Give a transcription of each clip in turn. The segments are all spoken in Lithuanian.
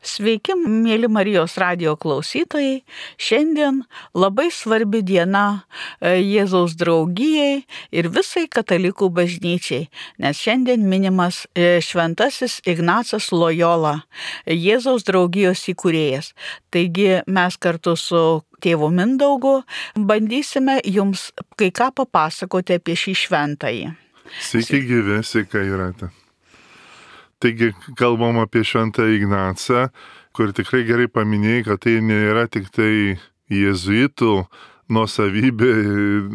Sveiki, mėly Marijos radijo klausytojai. Šiandien labai svarbi diena Jėzaus draugijai ir visai katalikų bažnyčiai, nes šiandien minimas šventasis Ignacas Lojola, Jėzaus draugijos įkūrėjas. Taigi mes kartu su tėvu Mindaugu bandysime jums kai ką papasakoti apie šį šventąjį. Sveiki gyvi, sveika Jūrate. Taigi kalbam apie šventą Ignacą, kur tikrai gerai paminėjai, kad tai nėra tik tai jėzuitų nuosavybė,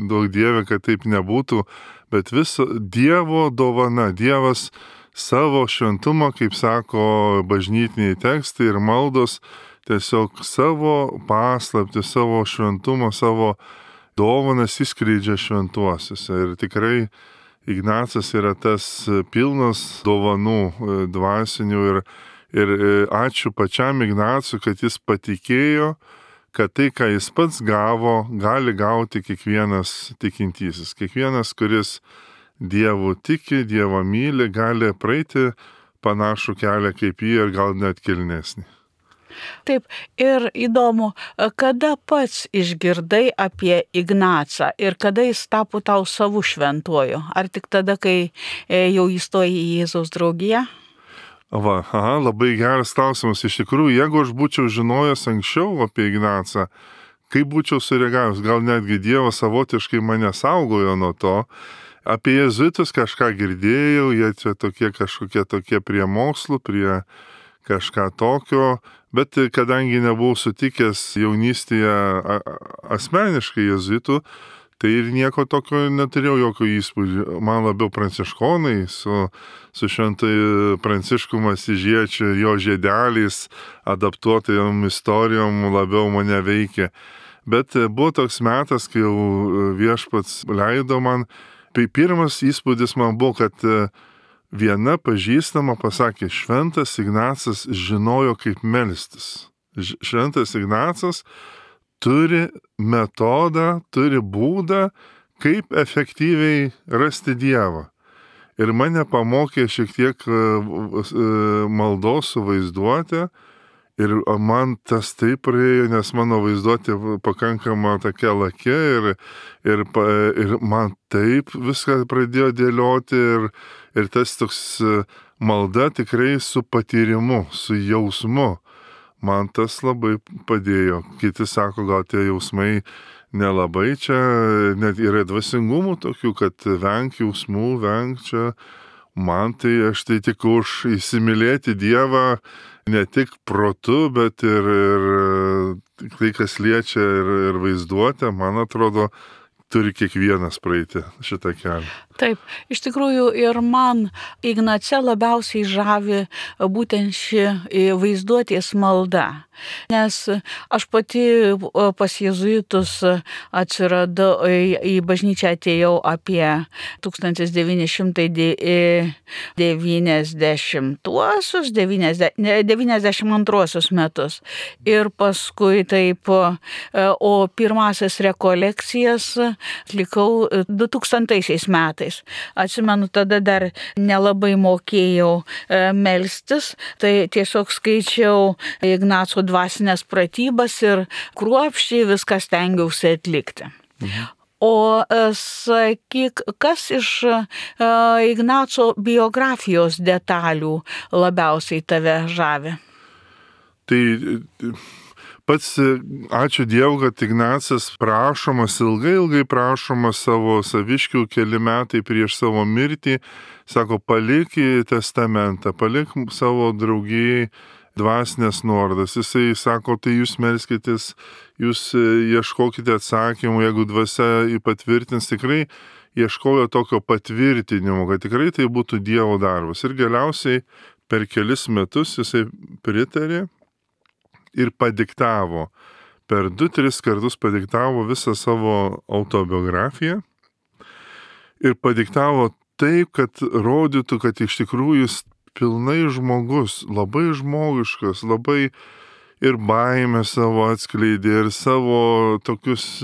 daug Dieve, kad taip nebūtų, bet viso Dievo dovana. Dievas savo šventumą, kaip sako bažnytiniai tekstai ir maldos, tiesiog savo paslaptį, savo šventumą, savo dovanas įskleidžia šventuosiuose. Ir tikrai Ignacas yra tas pilnas dovanų dvasinių ir ačiū pačiam Ignacui, kad jis patikėjo, kad tai, ką jis pats gavo, gali gauti kiekvienas tikintysis. Kiekvienas, kuris Dievu tiki, Dievą myli, gali praeiti panašų kelią kaip jį ir gal net kilnesnį. Taip, ir įdomu, kada pats išgirdai apie Ignacą ir kada jis tapo tau savų šventuoju? Ar tik tada, kai jau įstojai į Jėzaus draugiją? Labai geras klausimas. Iš tikrųjų, jeigu aš būčiau žinojęs anksčiau apie Ignacą, kaip būčiau sureagavęs, gal netgi Dievas savotiškai mane saugojo nuo to. Apie jėzuitus kažką girdėjau, jie čia kažkokie tokie prie mokslų, prie kažką tokio, bet kadangi nebuvau sutikęs jaunystėje asmeniškai jėzuitų, tai ir nieko tokio neturėjau, jokio įspūdžio. Man labiau pranciškonai su šventai Pranciškum Asyžiečiu, jo žiedeliais, adaptuotajom istorijom labiau mane veikė. Bet buvo toks metas, kai jau viešpats leido man, tai pirmas įspūdis man buvo, kad viena pažįstama pasakė, šventas Ignacas žinojo, kaip melstis. Šventas Ignacas turi metodą, turi būdą, kaip efektyviai rasti Dievą. Ir mane pamokė šiek tiek maldos su vaizduotė. Ir man tas taip praėjo, nes mano vaizduotė pakankama tokia lakė ir man taip viską pradėjo dėlioti ir tas toks malda tikrai su patyrimu, su jausmu. Man tas labai padėjo. Kiti sako, gal tie jausmai nelabai čia, net yra dvasingumų tokių, kad venk jausmų, venk čia. Man tai aš tai tik už įsimylėti Dievą, ne tik protu, bet ir tai, kas liečia ir vaizduotę, man atrodo, turi kiekvienas praeiti šitą kelią. Taip, iš tikrųjų ir man Ignace labiausiai žavi būtent ši vaizduotės malda. Nes aš pati pas jėzuitus atsiradau, į bažnyčią atėjau apie 1992 metus. Ir paskui taip, o pirmasias rekolekcijas atlikau 2000 metais. Atsimenu, tada dar nelabai mokėjau melstis, tai tiesiog skaičiau Ignaco dvasinės pratybas ir kruopščiai viską stengiausi atlikti. O sakyk, kas iš Ignaco biografijos detalių labiausiai tave žavi? Tai pats ačiū Dievui, kad Ignacas prašomas, ilgai prašomas savo saviškių keli metai prieš savo mirtį, sako, palik testamentą, palik savo draugijai dvasinės nuorodas. Jisai sako, tai jūs melskitės, jūs ieškokite atsakymų, jeigu dvasia patvirtins, tikrai ieškojo tokio patvirtinimo, kad tikrai tai būtų Dievo darbas. Ir galiausiai per kelis metus jisai pritarė ir padiktavo. Per 2-3 kartus padiktavo visą savo autobiografiją ir padiktavo taip, kad rodytų, kad iš tikrųjų jis pilnai žmogus, labai žmogiškas, labai ir baimę savo atskleidė, ir savo tokius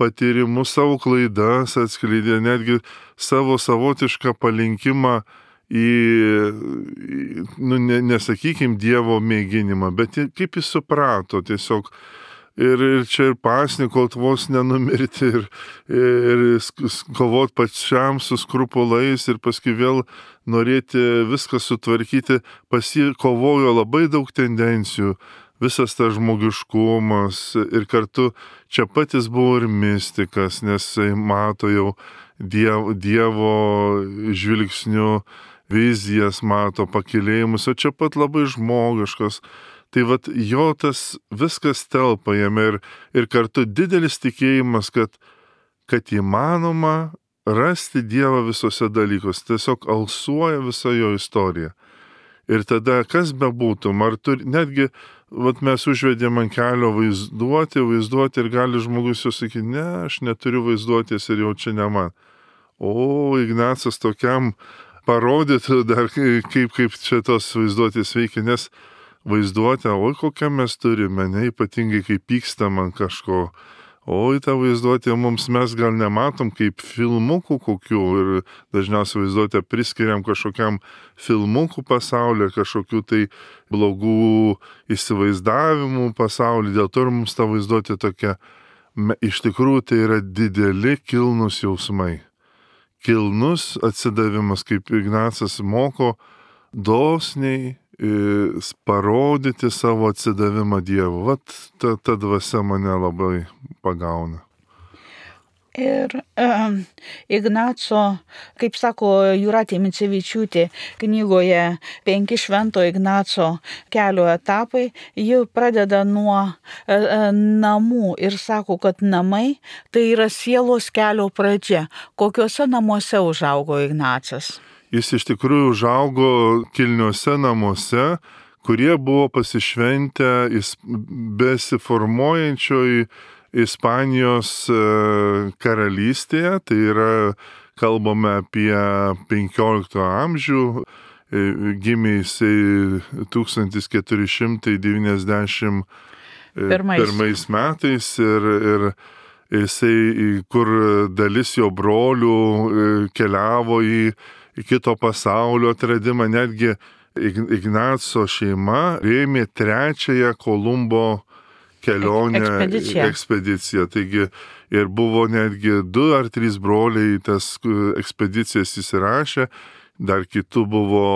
patyrimus, savo klaidas atskleidė, netgi savo savotišką palinkimą nesakykim, Dievo mėginimą, bet kaip jis suprato tiesiog. Ir čia ir pasnikot vos nenumirti, ir kovot pačiam su skrupulais, ir paskui vėl norėti viską sutvarkyti, kovojo labai daug tendencijų, visas tas žmogiškumas, ir kartu čia patys buvo ir mistikas, nes jis mato jau Dievo žvilgsniu, vizijas mato, pakilėjimus, o čia pat labai žmogiškas. Tai vat jo tas viskas telpa jame ir kartu didelis tikėjimas, kad įmanoma rasti Dievą visose dalykuose. Tiesiog alsuoja visa jo istorija. Ir tada kas bebūtum, netgi vat mes užvedėm ant kelio vaizduoti ir gali žmogus jau sakyti, ne, aš neturiu vaizduotės ir jau čia ne man. O Ignacas tokiam parodytų dar, kaip čia tos vaizduotės veikia, nes vaizduotę, oi kokią mes turime, ne ypatingai kaip pykstam ant kažko. Oi, tą vaizduotę mes gal nematom kaip filmukų kokių ir dažniausiai vaizduotę priskiriam kažkokiam filmukų pasaulyje, kažkokių tai blogų įsivaizdavimų pasaulyje. Dėl to ir mums ta vaizduotė tokia, iš tikrųjų tai yra dideli kilnus jausmai. Kilnus atsidavimas, kaip Ignacas moko, dosniai parodyti savo atsidavimą Dievu. Vat ta dvasia mane labai pagauna. Ir Ignaco, kaip sako Jūratė Micevičiūtė knygoje 5 Švento Ignaco kelio etapai, ji pradeda nuo namų ir sako, kad namai tai yra sielos kelio pradžia. Kokiuose namuose užaugo Ignacas? Jis iš tikrųjų užaugo kilniuose namuose, kurie buvo pasišventę besiformuojančioj Ispanijos karalystėje, tai yra, kalbame apie 15 amžių, gimė jisai 1491 metais ir jisai, kur dalis jo brolių keliavo į kito pasaulio atradimą, netgi Ignaco šeima rėmė 3 Kolumbo kelionę, ekspediciją. Taigi ir buvo netgi 2 ar 3 broliai tas ekspedicijas įsirašę, dar kitų buvo,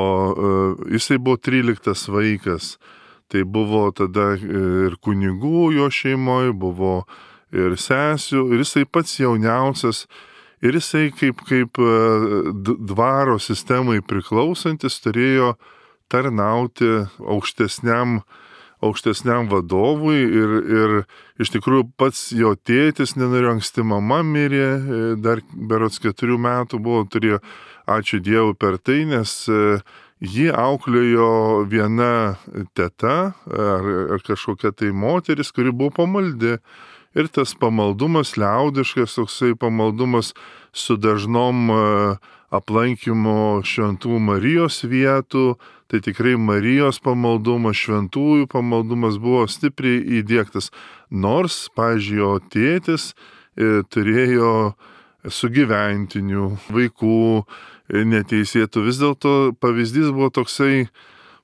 jisai buvo 13 vaikas. Tai buvo tada ir kunigų jo šeimoje, buvo ir sesių, ir jisai pats jauniausias. Ir jisai kaip dvaro sistemai priklausantis turėjo tarnauti aukštesniam vadovui ir iš tikrųjų pats jo tėtis nenorėjo, anksti mama mirė, dar berods 4 metų buvo, turėjo, ačiū Dievui per tai, nes jį auklėjo viena teta ar kažkokia tai moteris, kuri buvo pamaldi. Ir tas pamaldumas liaudiškas, toksai pamaldumas su dažnom aplankymo šventų Marijos vietų, tai tikrai Marijos pamaldumas, šventųjų pamaldumas buvo stipriai įdiegtas. Nors, pavyzdžiui, jo tėtis turėjo sugyventinių, vaikų neteisėtų. Vis dėlto pavyzdys buvo toksai,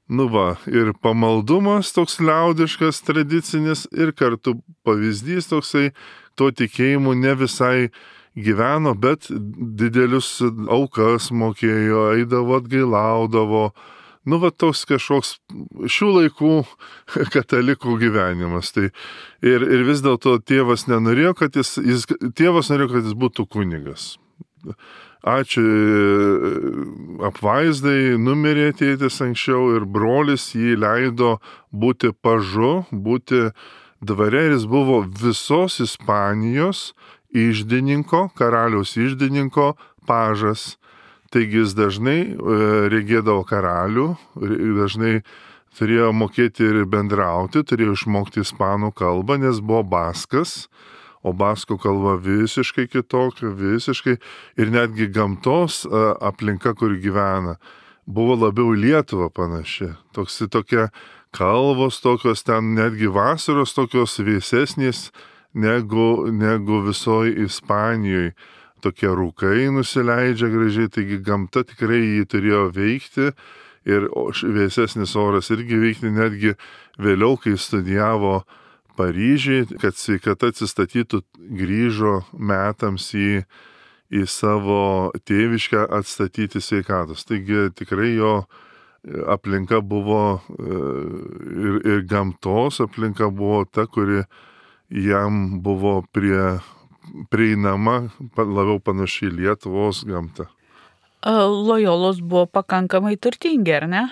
ir pamaldumas toks liaudiškas, tradicinis, ir kartu pavyzdys toksai, to tikėjimu ne visai gyveno, bet didelius aukas mokėjo, eidavo, atgailaudavo. Toks kažkoks šių laikų katalikų gyvenimas. Tai ir vis dėlto tėvas nenorėjo, tėvas norėjo, kad jis būtų kunigas. Ačiū apvaizdai, numirė tėtis anksčiau ir brolis jį leido būti pažu, būti dvare, ir jis buvo visos Ispanijos iždininko, karaliaus iždininko pažas. Taigi jis dažnai regėdavo karalių, dažnai turėjo mokėti ir bendrauti, turėjo išmokti ispanų kalbą, nes buvo baskas. O baskų kalba visiškai kitokia, ir netgi gamtos aplinka, kur gyvena, buvo labiau Lietuva panaši. Tokia kalvos tokios, ten netgi vasaros tokios vėsesnės negu visoje Ispanijoje. tokie rūkai nusileidžia gražiai, taigi gamta tikrai jį turėjo veikti ir vėsesnis oras irgi veikti, netgi vėliau, kai studijavo Paryžiui, kad sveikata atsistatytų, grįžo metams į savo tėviškę atstatyti sveikatos. Taigi tikrai jo aplinka buvo ir gamtos aplinka buvo ta, kuri jam buvo prieinama, labiau panašiai Lietuvos gamta. Lojolos buvo pakankamai turtingi, ar ne?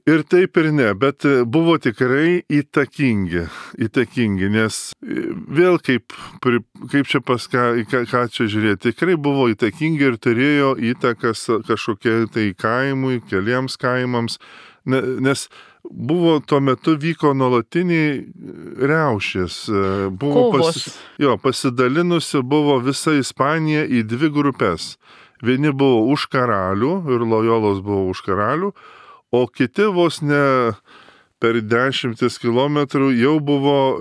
Ir taip ir ne, bet buvo tikrai įtakingi, nes vėl kaip čia ką čia žiūrėti, tikrai buvo įtakingi ir turėjo įtakas kažkokie tai kaimui, keliems kaimams, nes buvo tuo metu vyko nuolatiniai riaušės, buvo pasidalinusi buvo visa Ispanija į dvi grupės. Vieni buvo už karalių ir Lojolos buvo už karalių, o kiti vos ne per 10 kilometrų jau buvo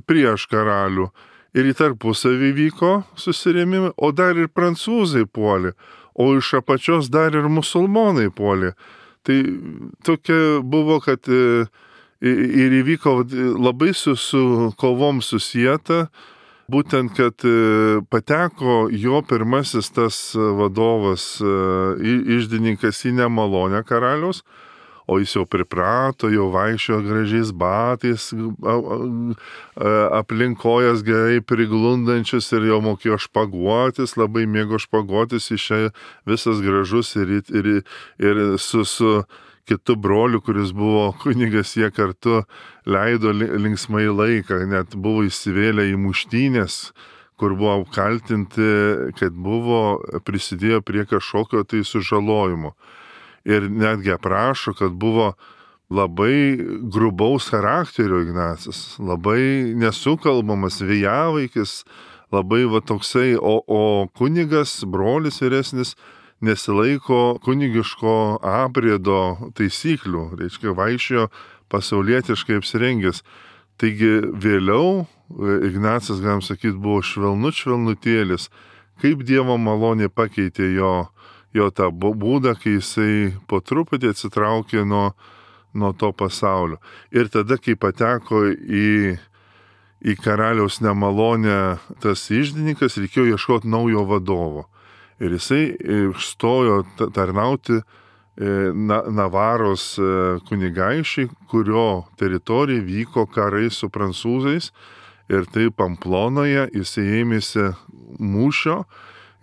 prieš karalių. Ir į tarpusavį vyko susirėmimai, o dar ir prancūzai puolė, o iš apačios dar ir musulmonai puolė. Tai tokia buvo, kad ir įvyko labai su kovom susieta, būtent, kad pateko jo pirmasis tas vadovas, iždininkas į nemalonę karaliaus, o jis jau priprato, jau vaikščiojo gražiais batais, aplinkojas gerai priglundančius ir jau mokėjo špaguotis, labai mėgo špaguotis, išėjo visas gražus ir su kitu broliu, kuris buvo kunigas, jie kartu leido linksmai laiką, net buvo įsivėlę į muštynės, kur buvo apkaltinti, kad prisidėjo prie kažkokio tai sužalojimo. Ir netgi aprašo, kad buvo labai grubaus charakterio Ignacas, labai nesukalbamas, vėjavaikis, labai toksai, o kunigas, brolis vyresnis, nesilaiko kunigiško apriedo taisyklių, reiškia vaikščiojo pasaulietiškai apsirengęs. Taigi vėliau Ignacas, galim sakyti, buvo švelnutėlis, kaip Dievo malonė pakeitė jo tą būdą, kai jisai po truputį atsitraukė nuo to pasaulio. Ir tada, kai pateko į karaliaus nemalonę tas iždininkas, reikėjo ieškoti naujo vadovo. Ir jisai stojo tarnauti Navaros kunigaišiai, kurio teritorija vyko karai su prancūzais. Ir tai Pamplonoje jisai ėmėsi mūšio.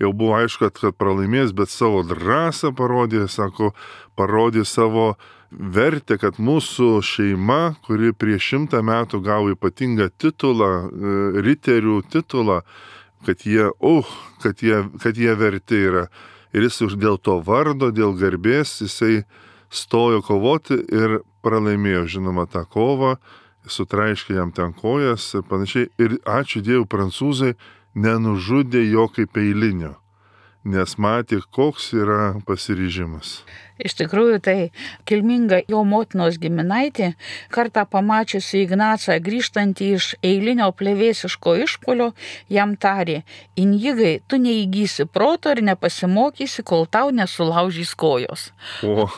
Jau buvo aišku, kad pralaimės, bet savo drąsą parodė savo vertę, kad mūsų šeima, kuri prieš 100 metų gavo ypatingą titulą, riterių titulą, kad jie verti yra. Ir jis dėl to vardo, dėl garbės, jisai stojo kovoti ir pralaimėjo, žinoma, tą kovą, sutraiškė jam ten kojas ir panašiai. Ir ačiū Dievui, prancūzai nenužudė jo kaip eilinio, nes matė, koks yra pasiryžimas. Iš tikrųjų, tai kilminga jo motinos giminaitė, kartą pamačiusi Ignacą grįžtantį iš eilinio plevėsiško išpuolio, jam tarė: Injigai, tu neįgysi proto ir nepasimokysi, kol tau nesulaužys kojos. O,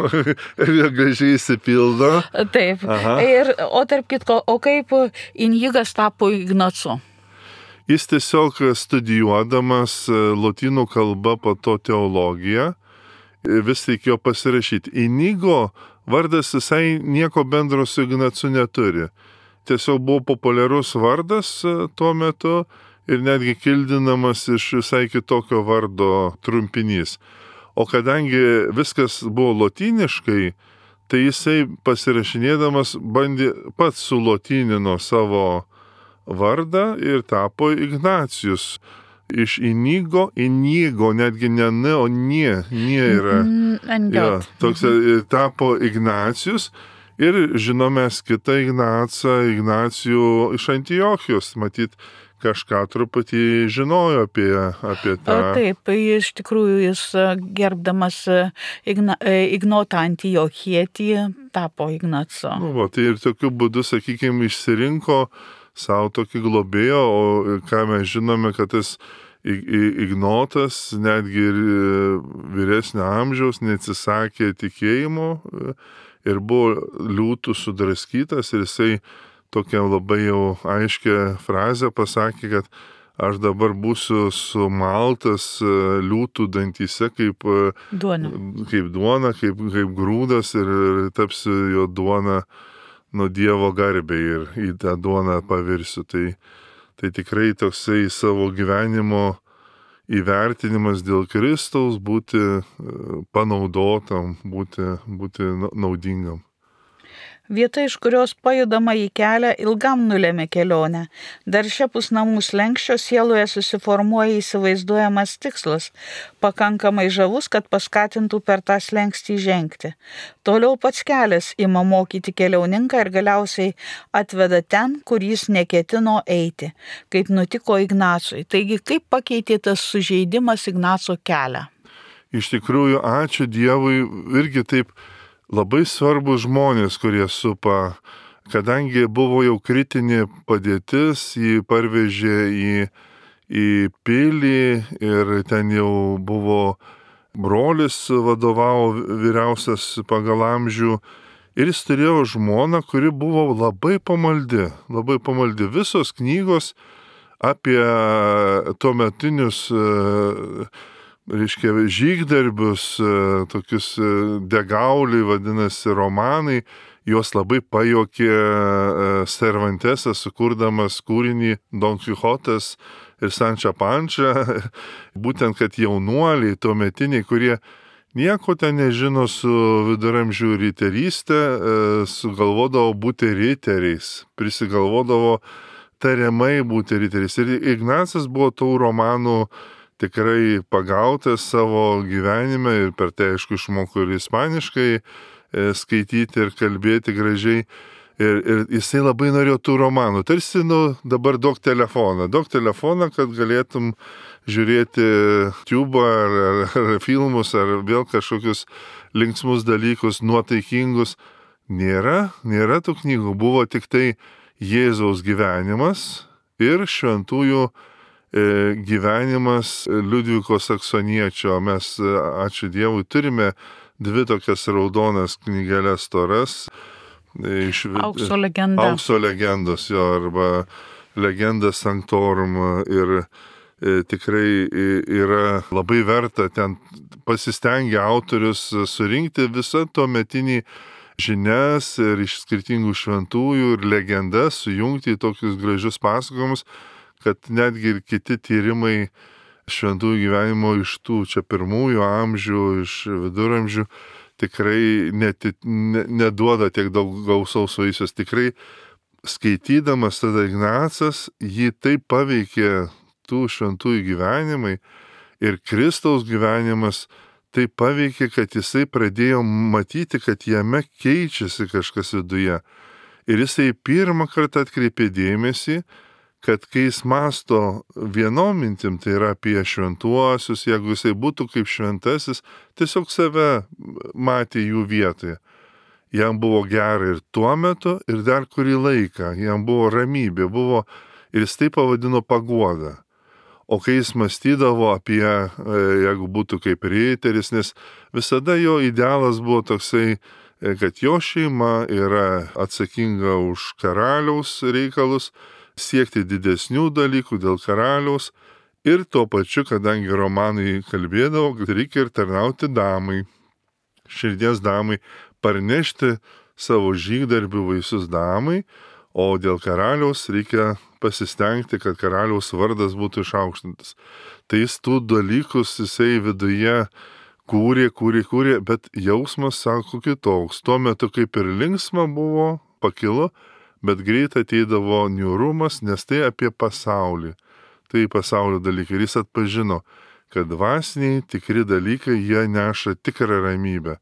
ir gražiai įsipildo. Taip. O tarp kitko, o kaip Injigas tapo Ignacu? Jis tiesiog studijuodamas lotynų kalbą, po to teologiją, vis reikėjo pasirašyti. Inigo vardas visai nieko bendro su Ignacu neturi. Tiesiog buvo populiarus vardas tuo metu ir netgi kildinamas iš visai kitokio vardo trumpinys. O kadangi viskas buvo lotyniškai, tai jisai pasirašinėdamas bandė pats sulotynino savo vardą ir tapo Ignacijus. Iš Inigo, netgi ne N, o Nie yra. Toks tapo Ignacijus ir žinomės kitą Ignacijų iš Antiochijos, matyt, kažką truputį žinojo apie tą. Taip, iš tikrųjų jis gerbdamas Ignotą Antiochietį tapo Ignacu. Tai ir tokiu būdu, sakykime, išsirinko savo tokį globėją, o ką mes žinome, kad tas Ignotas, netgi ir vyresnio amžiaus, neatsisakė tikėjimo ir buvo liūtų sudraskytas ir jisai tokią labai jau aiškę frazę pasakė, kad aš dabar būsiu sumaltas liūtų dantyse kaip duona, kaip grūdas ir tapsiu jo duona nuo Dievo garbei ir į tą duoną pavirsiu. Tai tikrai toksai savo gyvenimo įvertinimas dėl Kristaus, būti panaudotam, būti naudingam. Vieta, iš kurios pajudama į kelią, ilgam nulėmė kelionę. Dar šiapus namų slenkščio sieloje susiformuoja įsivaizduojamas tikslas, pakankamai žavus, kad paskatintų per tą slenkstį žengti. Toliau pats kelias ima mokyti keliauninką ir galiausiai atveda ten, kur jis neketino eiti, kaip nutiko Ignacui. Taigi, kaip pakeitė tas sužeidimas Ignaco kelią? Iš tikrųjų, ačiū Dievui, irgi taip labai svarbus žmonės, kurie supa, kadangi buvo jau kritinė padėtis, jį parvežė į pilį ir ten jau buvo brolis vadovavo vyriausias pagal amžių ir jis turėjo žmoną, kuri buvo labai pamaldi. Visos knygos apie tuometinius žygdarbius, tokius degauliai vadinasi romanai, juos labai pajokė Cervantesas, sukurdamas kūrinį Don Quijotas ir Sančia Pančia, būtent, kad jaunuoliai tuometiniai, kurie nieko ten nežino su viduramžių riterystė, sugalvodavo būti riteriais, prisigalvodavo tariamai būti riteriais. Ir Ignacas buvo tų romanų tikrai pagautas savo gyvenime ir per tai, aišku, išmoko ir ispaniškai skaityti ir kalbėti gražiai. Ir jisai labai norėjo tų romanų. Tarsi, dabar duok telefoną, kad galėtum žiūrėti tubą ar filmus, ar vėl kažkokius linksmus dalykus, nuotaikingus. Nėra tų knygų, buvo tik tai Jėzaus gyvenimas ir šventųjų gyvenimas Liudviko Saksoniečio. Mes, ačiū Dievui, turime 2 tokias raudonas knygelės storas. Aukso legendos, jo, arba Legenda Sanctorum. Ir tikrai yra labai verta, ten pasistengia autorius surinkti visą tuometinį žinias ir iš skirtingų šventųjų ir legendas sujungti į tokius gražius pasakojimus, kad netgi ir kiti tyrimai šventųjų gyvenimo iš tų čia pirmųjų amžių, iš viduramžių tikrai neduoda tiek daug gausaus vaisius. Tikrai skaitydamas tada Ignacas, jį taip paveikė tų šventųjų gyvenimai ir Kristaus gyvenimas taip paveikė, kad jisai pradėjo matyti, kad jame keičiasi kažkas viduje. Ir jisai pirmą kartą atkreipė dėmesį, kad kai jis masto vienom mintim, tai yra apie šventuosius, jeigu jisai būtų kaip šventasis, tiesiog save matė jų vietoje. Jam buvo gera ir tuo metu, ir dar kurį laiką, jam buvo ramybė, ir jis tai pavadino paguoda. O kai jis mąstydavo apie, jeigu būtų kaip riteris, nes visada jo idealas buvo toksai, kad jo šeima yra atsakinga už karaliaus reikalus, siekti didesnių dalykų dėl karaliaus ir tuo pačiu, kadangi romanai kalbėdavo, kad reikia ir tarnauti damai, širdies damai, parnešti savo žygdarbių vaisius damai, o dėl karaliaus reikia pasistengti, kad karaliaus vardas būtų išaukštintas. Tai jis tų dalykus jisai viduje kūrė, bet jausmas, sako, kitoks. Tuo metu kaip ir linksma buvo, pakilo, bet greit ateidavo niūrumas, nes tai apie pasaulį. Tai pasaulio dalykai. Ir jis atpažino, kad dvasiniai tikri dalykai, jie neša tikrą ramybę.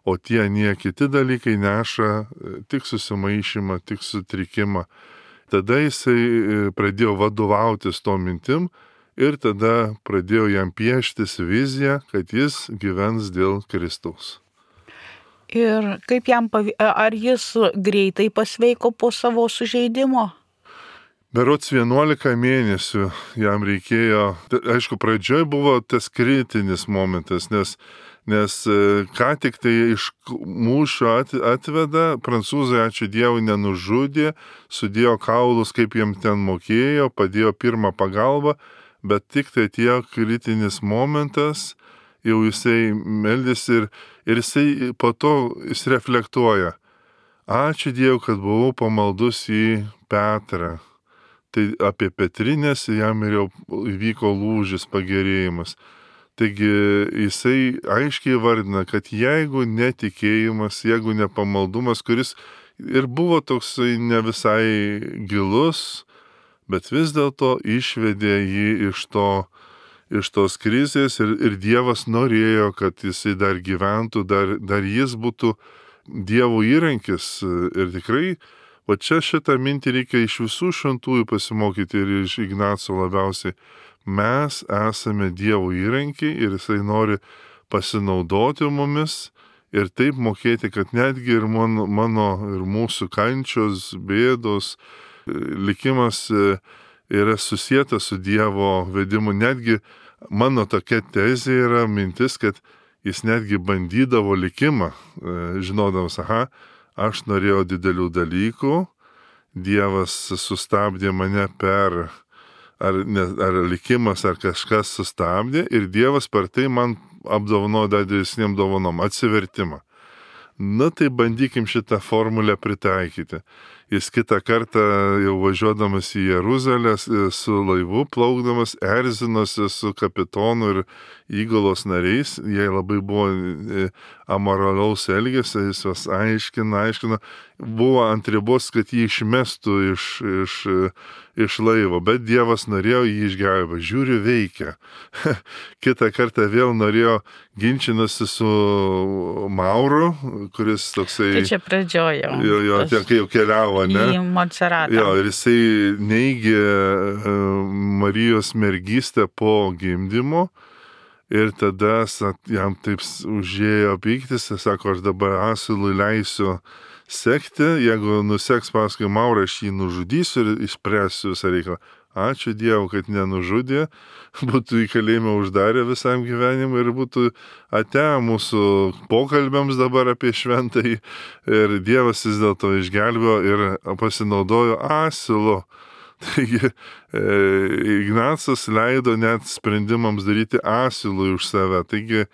O tie kiti dalykai neša tik susimaišymą, tik sutrikimą. Tada jisai pradėjo vadovautis to mintim ir tada pradėjo jam pieštis viziją, kad jis gyvens dėl Kristaus. Ir kaip jam ar jis greitai pasveiko po savo sužeidimo? berods 11 mėnesių jam reikėjo. Aišku, pradžioj buvo tas kritinis momentas, nes ką tik tai iš mūšio atveda, prancūzai, ačiū Dievui, nenužudė, sudėjo kaulus, kaip jiem ten mokėjo, padėjo pirmą pagalbą, bet tik tai atėjo kritinis momentas, jau jisai meldėsi ir jisai po to jis reflektuoja. Ačiū Dievui, kad buvau pamaldus į Petrą. Tai apie Petrinės jam ir jau įvyko lūžis, pagerėjimas. Taigi jisai aiškiai vardina, kad jeigu netikėjimas, jeigu nepamaldumas, kuris ir buvo toksai ne visai gilus, bet vis dėlto išvedė jį iš tos krizės ir Dievas norėjo, kad jisai dar gyventų, dar jis būtų Dievo įrankis. Ir tikrai, va čia šitą mintį reikia iš visų šventųjų pasimokyti ir iš Ignaco labiausiai. Mes esame Dievo įrankiai ir jisai nori pasinaudoti mumis ir taip mokėti, kad netgi ir mano ir mūsų kančios, bėdos, likimas yra susietas su Dievo vedimu. Netgi mano tokia tezė yra mintis, kad jis netgi bandydavo likimą, žinodamas, aš norėjau didelių dalykų, Dievas sustabdė mane ar likimas, ar kažkas sustabdė ir Dievas per tai man apdovanojo dar didesniem dovanom, atsivertimą. Na tai bandykim šitą formulę pritaikyti. Jis kitą kartą jau važiuodamas į Jeruzalę su laivu plaukdamas erzinosi su kapitonu ir įgulos nariais. Jie labai buvo amoralaus elgesio, jis juos aiškina. Buvo ant ribos, kad jį išmestų iš laivo, bet Dievas norėjo jį išgelbėti. Žiūriu, veikia. Kitą kartą vėl norėjo ginčinasi su Mauru, kuris toksai... Tai čia pradžiojo. Jo, kai jau keliavo, ne? Į Montserratą. Jo, ir jisai neigė Marijos mergystę po gimdymo ir tada jam taip užėjo pyktis, jis sako, aš dabar asilui leisiu sekti, jeigu nuseks paskui Maurą, aš jį nužudysiu ir išspręsiu visą reikalą. Ačiū Dievui, kad nenužudė, būtų į kalėjimą uždarę visam gyvenimui ir būtų atėję mūsų pokalbėms dabar apie šventąjį. Ir Dievas vis dėlto išgelbėjo ir pasinaudojo asilu. Taigi Ignacas leido net sprendimams daryti asilui už save. Taigi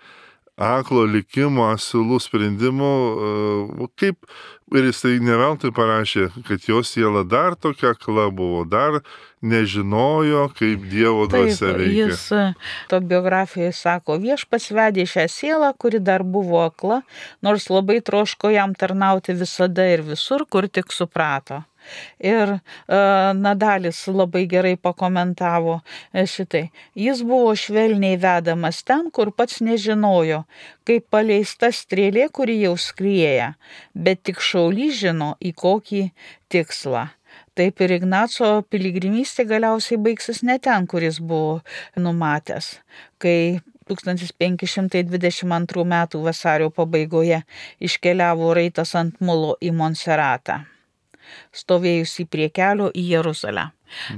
aklo likimo, asilų sprendimų, kaip ir jisai neveltui parašė, kad jo siela dar tokia akla buvo, dar nežinojo, kaip Dievo dvasia veikia. Jis to biografijoje sako, Viešpats vedė šią sielą, kuri dar buvo akla, nors labai troško jam tarnauti visada ir visur, kur tik suprato. Ir Nadalis labai gerai pakomentavo šitai. Jis buvo švelniai vedamas ten, kur pats nežinojo, kaip paleista strėlė, kuri jau skrieja, bet tik šaulys žino, į kokį tikslą. Taip ir Ignaco piligrimystė galiausiai baigsis ne ten, kur jis buvo numatęs, kai 1522 metų vasario pabaigoje iškeliavo raitas ant mulo į Montserratą, stovėjusi prie kelio į Jeruzalę.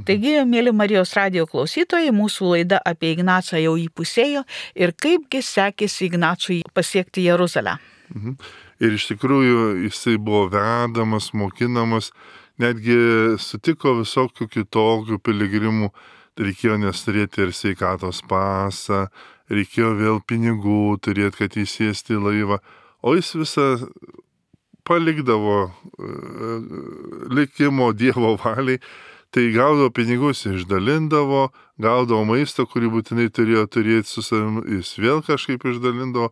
Taigi, mėly Marijos radijo klausytojai, mūsų laida apie Ignacą jau įpusėjo ir kaipgi sekėsi Ignacui pasiekti Jeruzalę. Ir iš tikrųjų jisai buvo vedamas, mokinamas, netgi sutiko visokių kitokių piligrimų, reikėjo nesturėti ir sveikatos pasą, reikėjo vėl pinigų turėti, kad įsėsti į laivą, o jis visą palikdavo likimo Dievo valiai, tai gaudavo pinigus, išdalindavo, gaudavo maisto, kurį būtinai turėjo turėti su savimi, jis vėl kažkaip išdalindavo,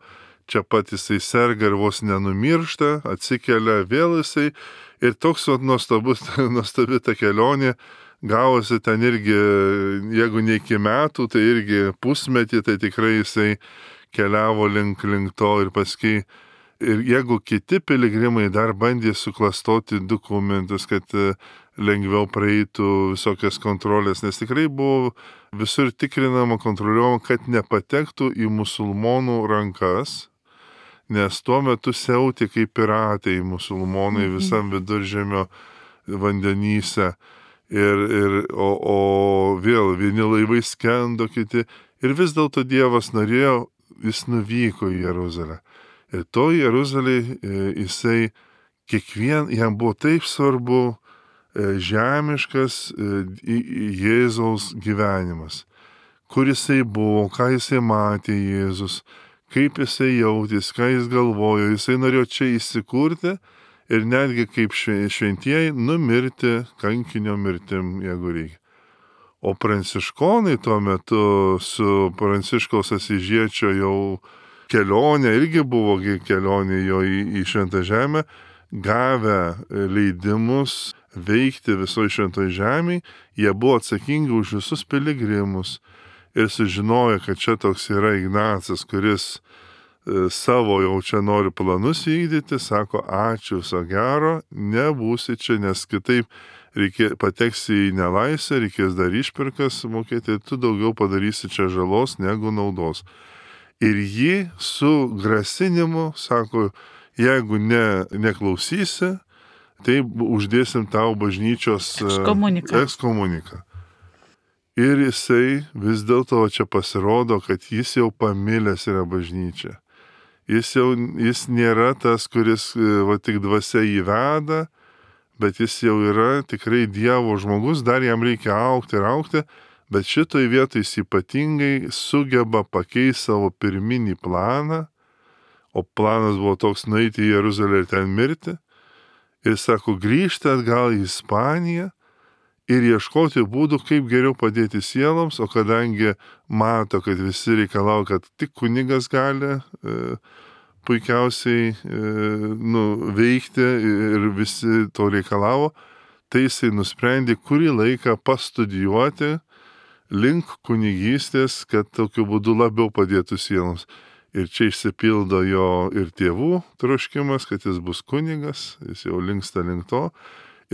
čia pat jisai serga ir vos nenumiršta, atsikelia vėl jisai ir toks nuostabi ta kelionė, gavosi ten irgi, jeigu ne iki metų, tai irgi pusmetį, tai tikrai jisai keliavo link to ir paskui. Ir jeigu kiti piligrimai dar bandė suklastoti dokumentus, kad lengviau praeitų visokias kontrolės, nes tikrai buvo visur tikrinama, kontroliuojama, kad nepatektų į musulmonų rankas, nes tuo metu siautė kaip piratai musulmonai visam Viduržemio vandenyse. O vėl vieni laivai skendo, kiti. Ir vis dėlto Dievas norėjo, jis nuvyko į Jeruzalę. Ir to Jeruzalėje jisai jam buvo taip svarbu žemiškas Jėzaus gyvenimas. Kur jisai buvo, ką jisai matė Jėzus, kaip jisai jautės, ką jis galvojo. Jisai norėjo čia įsikurti ir netgi kaip šventieji numirti kankinio mirtim, jeigu reikia. O pranciškonai tuo metu su Pranciškaus Asyžiečio jau kelionė, irgi buvo kelionė jo į Šventą Žemę, gavę leidimus veikti visoje Šventoje Žemėje, jie buvo atsakingi už visus piligrimus ir sužinojo, kad čia toks yra Ignacas, kuris savo jau čia nori planus vykdyti, sako, ačiū, viso gero, nebūsi čia, nes kitaip pateksi į nelaisvę, reikės dar išpirkas mokėti, tu daugiau padarysi čia žalos negu naudos. Ir jį su grasinimu sako, jeigu neklausysi, tai uždėsim tau bažnyčios ekskomuniką. Ir jisai vis dėlto čia pasirodo, kad jis jau pamilęs yra bažnyčia. Jis nėra tas, kuris tik dvasia įveda, bet jis jau yra tikrai Dievo žmogus, dar jam reikia augti ir augti, bet šitoj vietoj jis ypatingai sugeba pakeisti savo pirminį planą, o planas buvo toks nueiti į Jeruzalę ir ten mirti, ir sako, grįžti atgal į Ispaniją ir ieškoti būdų, kaip geriau padėti sieloms, o kadangi mato, kad visi reikalauja, kad tik kunigas gali puikiausiai veikti ir visi to reikalavo, tai jisai nusprendė kurį laiką pastudijuoti link kunigystės, kad tokiu būdu labiau padėtų sieloms. Ir čia išsipildo jo ir tėvų troškimas, kad jis bus kunigas, jis jau linksta link to.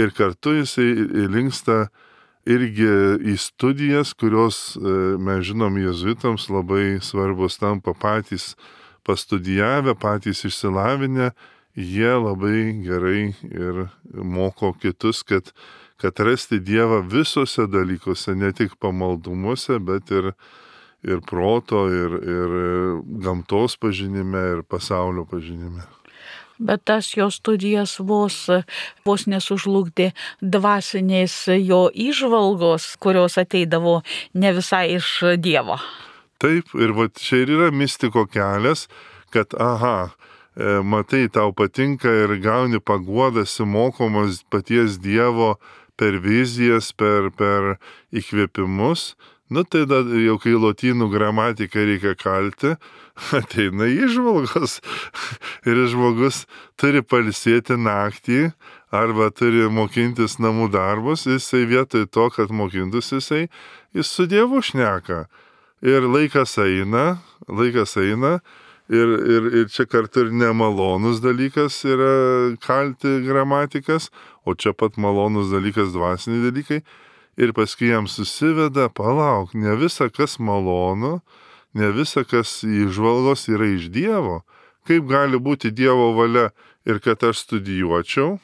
Ir kartu jisai linksta irgi į studijas, kurios, mes žinom, jėzuitams labai svarbus tampa patys pastudijavę, patys išsilavinę, jie labai gerai ir moko kitus, kad rasti Dievą visose dalykuose, ne tik pamaldumuose, bet ir proto, ir gamtos pažinime, ir pasaulio pažinime. Bet tas jo studijas vos nesužlugdė dvasinės jo įžvalgos, kurios ateidavo ne visai iš Dievo. Taip, ir čia ir yra mistiko kelias, kad matai, tau patinka ir gauni paguodas, mokomas paties Dievo per vizijas, per įkvėpimus. Tai jau kai lotynų gramatiką reikia kalti, ateina įžvalgos ir žmogus turi pailsėti naktį arba turi mokintis namų darbus, jisai vietoj to, kad mokintus jis su Dievu šneka. Ir laikas eina ir čia kartu ir nemalonus dalykas yra kalti gramatikas, o čia pat malonus dalykas dvasiniai dalykai. Ir paskui jam susiveda, palauk, ne visa kas malonu, ne visa kas įžvalgos yra iš Dievo. Kaip gali būti Dievo valia ir kad aš studijuočiau,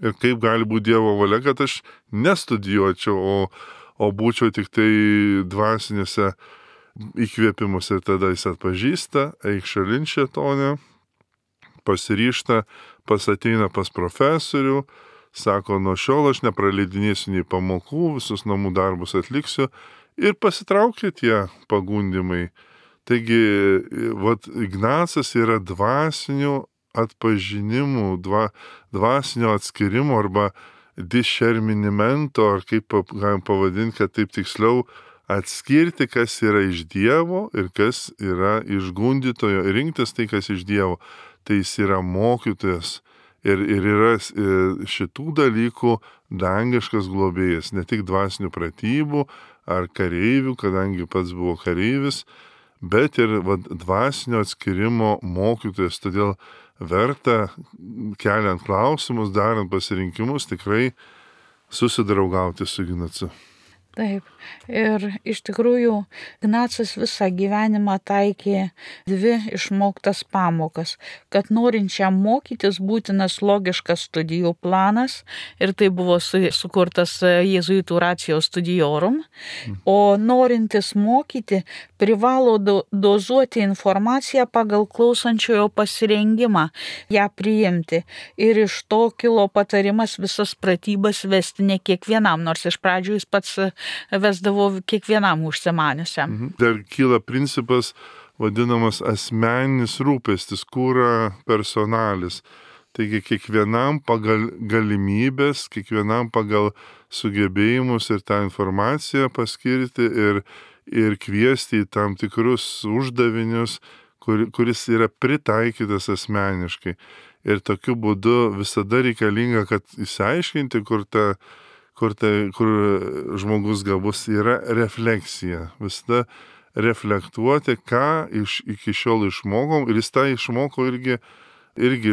ir kaip gali būti Dievo valia, kad aš nestudijuočiau, o būčiau tik tai dvasinėse įkvėpimuose. Ir tada jis atpažįsta, eik šalin šėtonę, pasiryžta, ateina pas profesorių, sako, nuo šiol aš nepraleidinėsiu nei pamokų, visus namų darbus atliksiu ir pasitraukia tie pagundimai. Taigi, Ignacas yra dvasinių atpažinimų, dvasinio atskirimo arba discernimento, ar kaip galim pavadinti, kad taip tiksliau atskirti, kas yra iš Dievo ir kas yra iš gundytojo, rinktis tai, kas iš Dievo. Tai jis yra mokytojas ir yra šitų dalykų dangiškas globėjas, ne tik dvasinių pratybų ar kareivių, kadangi pats buvo kareivis, bet ir dvasinio atskirimo mokytojas. Todėl verta, keliant klausimus, darant pasirinkimus, tikrai susidraugauti su Ignacu. Taip. Ir iš tikrųjų Ignacas visą gyvenimą taikė dvi išmoktas pamokas, kad norinčiam mokytis būtinas logiškas studijų planas ir tai buvo sukurtas jėzuitų ratio studiorum, o norintis mokyti privalo dozuoti informaciją pagal klausančiojo pasirengimą ją priimti. Ir iš to kilo patarimas visas pratybas vesti ne kiekvienam, nors iš pradžių jis pats vesdavo kiekvienam užsimaniusiam. Dar kyla principas vadinamas asmeninis rūpestis, kūra personalis. Taigi kiekvienam pagal galimybės, kiekvienam pagal sugebėjimus ir tą informaciją paskirti ir kviesti į tam tikrus uždavinius, kuris yra pritaikytas asmeniškai. Ir tokiu būdu visada reikalinga, kad įsiaiškinti, kur žmogus gabus, yra refleksija. Visada reflektuoti, ką iki šiol išmokom, ir jis tą išmoko irgi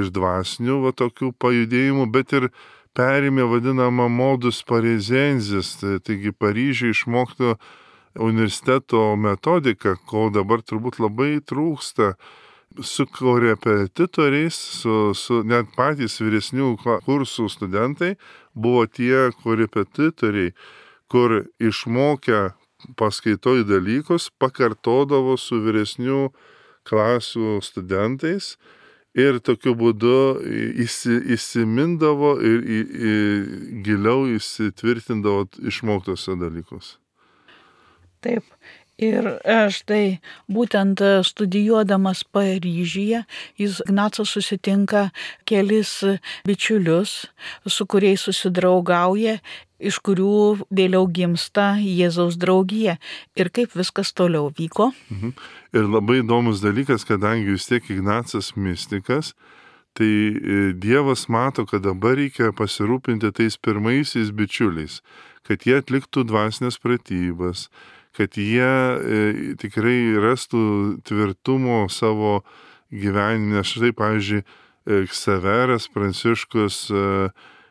iš dvasinių tokių pajudėjimų, bet ir perėmė vadinamą modus parisiensis, taigi Paryžiuje išmokto universiteto metodiką, ko dabar turbūt labai trūksta. Su korepetitoriais, su net patys vyresnių kursų studentai buvo tie korepetitoriai, kur išmokę paskaitoj dalykus pakartodavo su vyresnių klasių studentais ir tokiu būdu įsimindavo ir giliau įsitvirtindavo išmoktose dalykus. Taip. Ir štai būtent studijuodamas Paryžiuje, Ignacas susitinka kelis bičiulius, su kuriais susidraugauja, iš kurių vėliau gimsta Jėzaus draugija. Ir kaip viskas toliau vyko. Ir labai įdomus dalykas, kadangi vis tiek Ignacas mistikas, tai Dievas mato, kad dabar reikia pasirūpinti tais pirmaisiais bičiuliais, kad jie atliktų dvasinės pratybas, kad jie tikrai rastų tvirtumo savo gyvenime. Štai, pavyzdžiui, Ksaveras Pranciškus,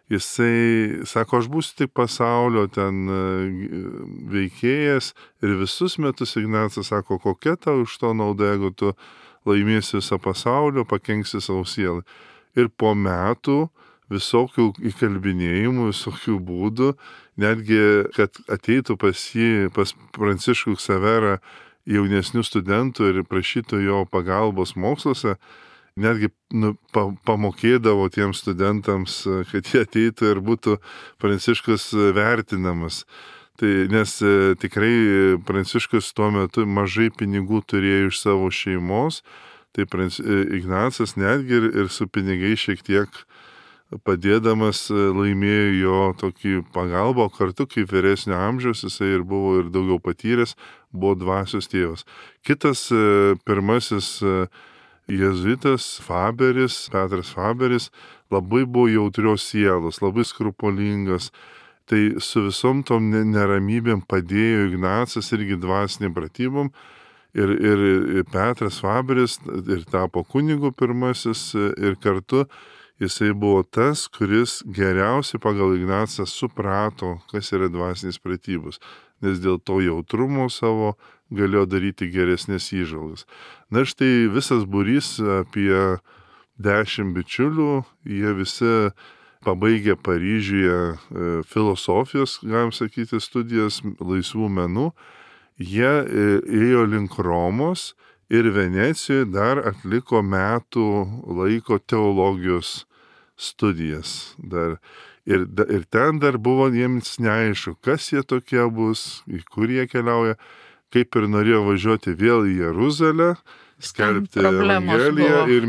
jisai sako, aš būsiu tik pasaulio ten veikėjas, ir visus metus Ignacas sako, kokia tau iš to nauda, jeigu tu laimėsi visą pasaulio, pakenksi savo sielą. Ir po metų visokių įkalbinėjimų, visokių būdų, netgi, kad ateitų pas Pranciškų Ksaverą jaunesnių studentų ir prašytų jo pagalbos moksluose, netgi pamokėdavo tiems studentams, kad jie ateitų ir būtų Pranciškus vertinamas. Tai, nes tikrai Pranciškus tuo metu mažai pinigų turėjo iš savo šeimos, tai Ignacas netgi ir su pinigai šiek tiek padėdamas laimėjo jo tokį pagalbą, kartu kaip vyresnio amžiaus jisai ir buvo ir daugiau patyręs, buvo dvasios tėvas. Kitas pirmasis jėzuitas Faberis, Petras Faberis, labai buvo jautrios sielos, labai skrupulingas. Tai su visom tom neramybėm padėjo Ignacas irgi dvasiniam pratybom. Ir Petras Faberis ir tapo kunigu pirmasis ir kartu jisai buvo tas, kuris geriausiai pagal Ignacą suprato, kas yra dvasinės pratybos, nes dėl to jautrumo savo galėjo daryti geresnės įžvalgas. Na štai visas būrys apie 10 bičiulių, jie visi pabaigė Paryžiuje filosofijos, galim sakyti, studijas laisvų menų, jie ėjo link Romos ir Venecijoje dar atliko metų laiko teologijos studijas. Ir ten dar buvo jiems neaišku, kas jie tokie bus, į kur jie keliauja, kaip ir norėjo važiuoti vėl į Jeruzalę, skelbti Evangeliją ir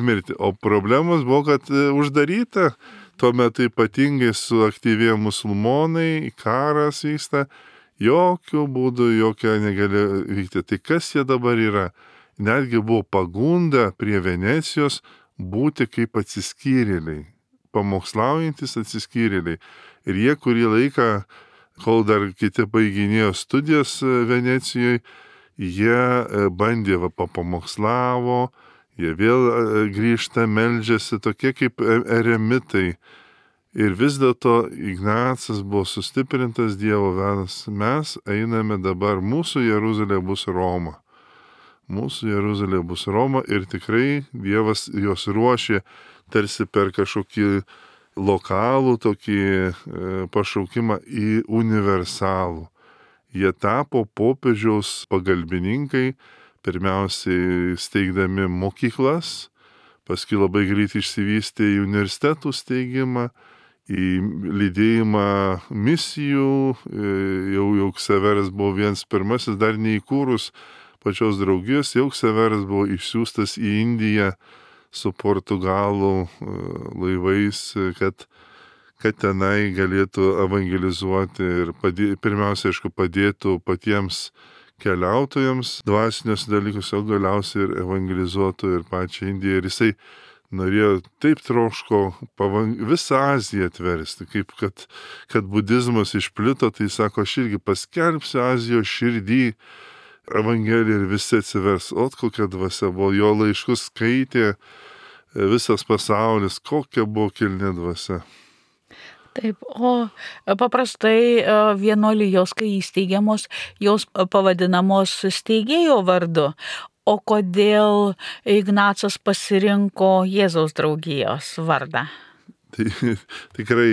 mirti. O problemos buvo, kad uždaryta, tuo metu ypatingai suaktyvėjo musulmonai, karas vyksta, jokių būdų, jokia negali vykti. Tai kas jie dabar yra? Netgi buvo pagunda prie Venecijos būti kaip atsiskyrėliai, pamokslaujantis atsiskyrėliai. Ir jie kurį laiką, kol dar kiti baiginėjo studijas Venecijoje, jie bandė, papamokslavo, jie vėl grįžta, meldžiasi, tokie kaip eremitai. Ir vis dėlto Ignacas buvo sustiprintas Dievo vedas. Mes einame dabar, mūsų Jeruzalė bus Roma. Mūsų Jeruzalė bus Roma ir tikrai Dievas jos ruošė tarsi per kažkokį lokalų tokį pašaukimą į universalų. Jie tapo popiežiaus pagalbininkai, pirmiausiai steigdami mokyklas, paskui labai greit išsivystė į universitetų steigimą, į lydėjimą misijų, jau Ksaveras buvo vienas pirmasis, dar neįkūrus pačios draugijos, jau Ksaveras buvo išsiųstas į Indiją su portugalų laivais, kad tenai galėtų evangelizuoti ir pirmiausia, aišku, padėtų patiems keliautojams dvasinius dalykus, o galiausiai ir evangelizuotų ir pačią Indiją. Ir jisai norėjo taip troško visą Aziją atversti, kaip kad budizmas išplito, tai sako, aš irgi paskelbsiu Azijos širdį evangeliją ir visi atsivers. O kokia dvasia buvo, jo laiškus skaitė visas pasaulis, kokia buvo kilni dvasia. Taip, o paprastai vienuolijos, kai įsteigiamos, jos pavadinamos steigėjo vardu. O kodėl Ignacas pasirinko Jėzaus draugijos vardą? Tai tikrai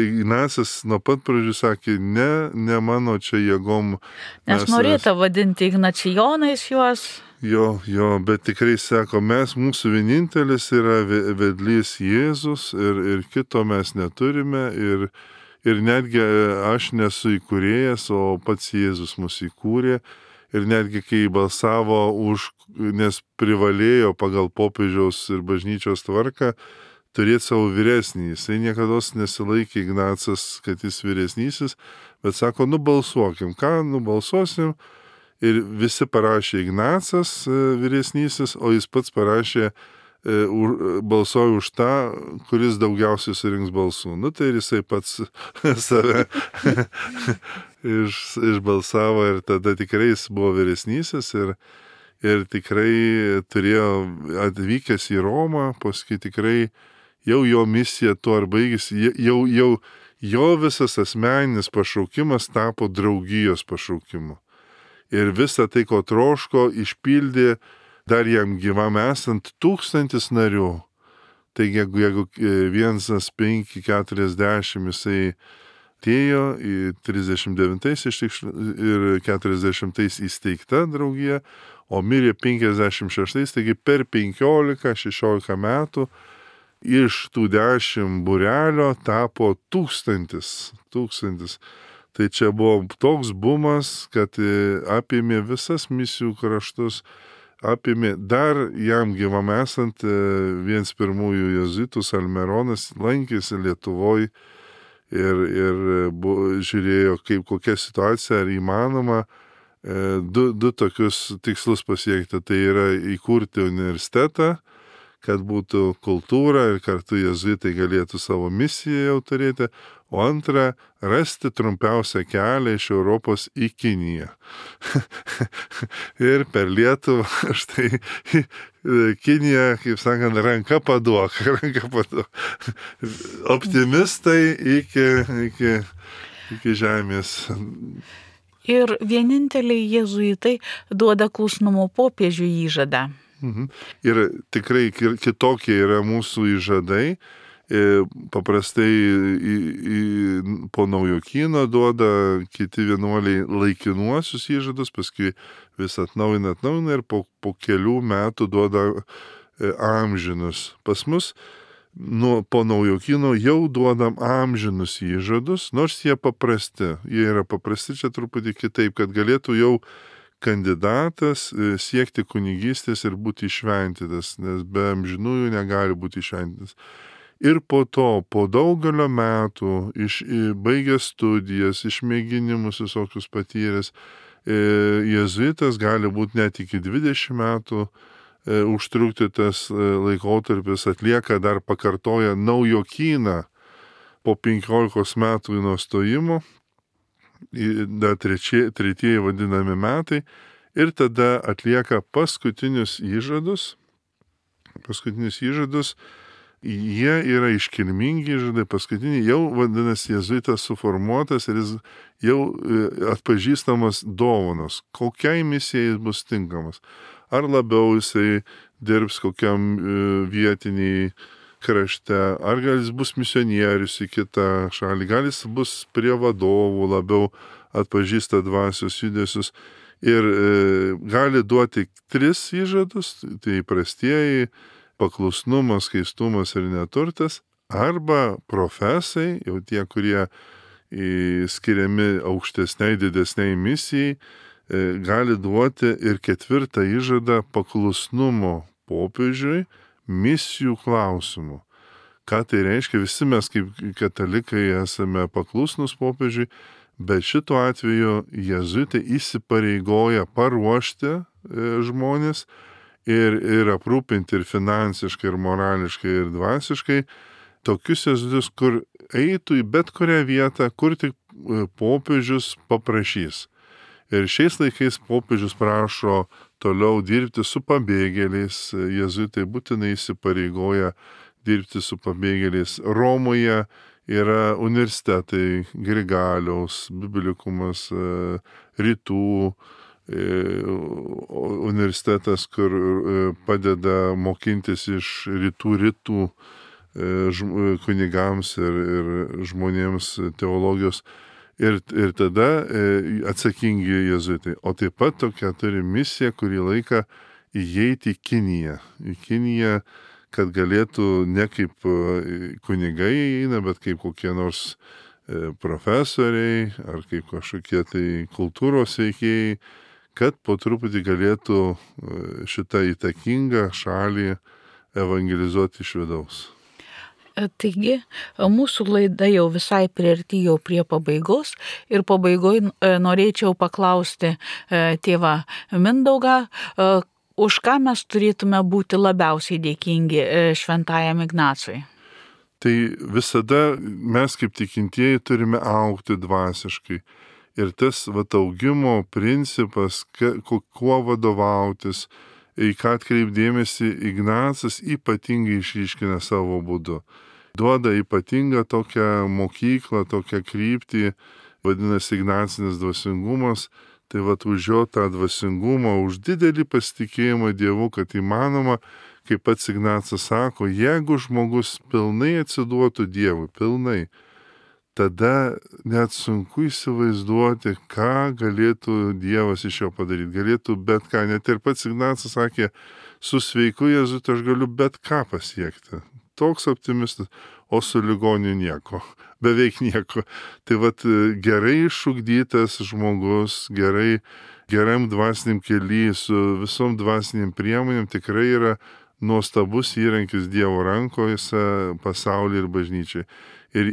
Ignacas nuo pat pradžių sakė, ne mano čia jėgom. Nes norėta vadinti Ignacijonais juos. Jo, bet tikrai sako, mūsų vienintelis yra vedlys Jėzus ir kito mes neturime ir netgi aš nesu įkūrėjas, o pats Jėzus mus įkūrė ir netgi kai balsavo nes privalėjo pagal popiežiaus ir bažnyčios tvarką turėti savo vyresnį, jisai niekados nesilaikė Ignacas, kad jis vyresnysis, bet sako, nubalsuokim, nubalsuosim. Ir visi parašė Ignacas vyresnysis, o jis pats parašė, balsuoja už tą, kuris daugiausiai surinks balsų. Tai ir jisai pats save išbalsavo ir tada tikrai jis buvo vyresnysis ir tikrai turėjo atvykęs į Romą, paskui tikrai jau jo misija tuo ar baigėsi, jau jo visas asmeninis pašaukimas tapo draugijos pašaukimu. Ir visą tai, ko troško, išpildė dar jam gyvam esant 1000 narių. Taigi, jeigu 1,540 jisai atėjo į 39 ir 40 įsteigta draugija, o mirė 56, taigi per 15-16 metų iš tų 10 būrelio tapo 1000. Tai čia buvo toks bumas, kad apėmė visas misijų kraštus, apėmė dar jam gyvam esant vienas pirmųjų jėzuitų Salmeronas lankėsi Lietuvoje ir žiūrėjo, kokia situacija, ar įmanoma du tokius tikslus pasiekti. Tai yra įkurti universitetą, kad būtų kultūra ir kartu jėzuitai galėtų savo misiją jau turėti. O antra, rasti trumpiausią kelią iš Europos į Kiniją. Ir per Lietuvą, štai, Kinija, kaip sakant, ranka paduok. Optimistai iki žemės. Ir vieninteliai jėzuitai duoda klusnumo popiežiui įžadą. Ir tikrai kitokie yra mūsų įžadai. Paprastai po Naujokyno duoda kiti vienuoliai laikinuosius įžadus, paskui vis atnaujina ir po kelių metų duoda amžinus. Pas mus po Naujokyno jau duodam amžinus įžadus, nors jie paprasti. Jie yra paprasti čia truputį kitaip, kad galėtų jau kandidatas siekti kunigystės ir būti išventytas, nes be amžinųjų negali būti išventytas. Ir po to, po daugelio metų, baigęs studijas, išmėginimus visokius patyręs, jėzuitas gali būti net iki 20 metų užtrukti tas laikotarpis, atlieka dar pakartoja Naujokyną po 15 metų nuo stojimo, dar tretieji vadinami metai, ir tada atlieka paskutinius įžadus, Jie yra iškilmingi žydai, paskutiniai jau vadinasi jėzuitas suformuotas ir jis jau atpažįstamas dovanos, kokiai misijai jis bus tinkamas. Ar labiau jisai dirbs kokiam vietiniai krašte, ar gal jis bus misionierius į kitą šalį, gal jis bus prie vadovų labiau atpažįsta dvasios judesius ir gali duoti 3 įžadus, tai įprastieji paklusnumas, skaistumas ir neturtas, arba profesai, jau tie, kurie skiriami aukštesniai, didesniai misijai, gali duoti ir 4 įžadą paklusnumo popiežiui misijų klausimų. Ką tai reiškia? Visi mes kaip katalikai esame paklusnus popiežiui, bet šituo atveju jėzuitai įsipareigoja paruošti žmonės ir aprūpinti ir finansiškai, ir morališkai, ir dvasiškai tokius jėzuitus, kur eitų į bet kurią vietą, kur tik popiežius paprašys. Ir šiais laikais popiežius prašo toliau dirbti su pabėgėliais, jėzuitai būtinai įsipareigoja dirbti su pabėgėliais. Romoje yra universitetai, Grigaliaus, Biblikumas, Rytų universitetas, kur padeda mokintis iš rytų kunigams ir žmonėms teologijos. Ir tada atsakingi jėzuitai. O taip pat tokia turi misiją, kurį laiką įeiti į Kiniją. Į Kiniją, kad galėtų ne kaip kunigai eina, bet kaip kokie nors profesoriai ar kaip kažkokie tai kultūros veikėjai, kad po truputį galėtų šitą įtakingą šalį evangelizuoti iš vidaus. Taigi, mūsų laida jau visai priartėjo prie pabaigos ir pabaigoje norėčiau paklausti tėvą Mindaugą, už ką mes turėtume būti labiausiai dėkingi šventajam Ignacui. Tai visada mes kaip tikintieji turime augti dvasiškai. Ir tas augimo principas, kuo vadovautis, į ką atkreipdėmėsi, Ignacas ypatingai išryškina savo būdu. Duoda ypatingą tokią mokyklą, tokią kryptį, vadinasi Ignacinis dvasingumas, tai už jo tą dvasingumą, už didelį pasitikėjimą Dievu, kad įmanoma, kaip pats Ignacas sako, jeigu žmogus pilnai atsiduotų Dievui, pilnai, tada net sunku įsivaizduoti, ką galėtų Dievas iš jo padaryti. Galėtų bet ką, net ir pats Ignacas sakė, su sveiku jėzuitu aš galiu bet ką pasiekti. Toks optimistas, o su ligoniu nieko, beveik nieko. Tai gerai išugdytas žmogus, geram dvasiniam kely, su visom dvasiniam priemonėm tikrai yra nuostabus įrankis Dievo rankose pasaulyje ir bažnyčiai. Ir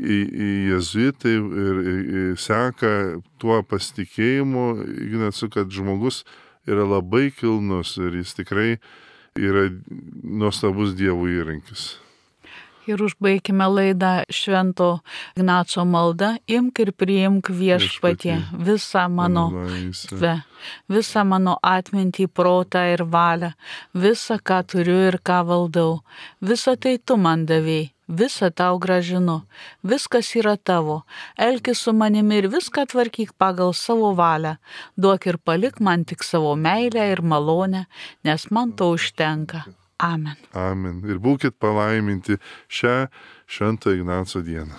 jėzuitai ir seka tuo pasitikėjimu, Ignacu, kad žmogus yra labai kilnus ir jis tikrai yra nuostabus Dievo įrankis. Ir užbaikime laidą švento Ignaco maldą. Imk ir priimk viešpatie visą mano atmintį, protą ir valią, visą, ką turiu ir ką valdau. Visą tai tu man davei, visą tau gražinu, viskas yra tavo. Elkis su manimi ir viską tvarkyk pagal savo valią. Duok ir palik man tik savo meilę ir malonę, nes man to užtenka. Amen. Amen. Ir būkit palaiminti šią Švento Ignaco dieną.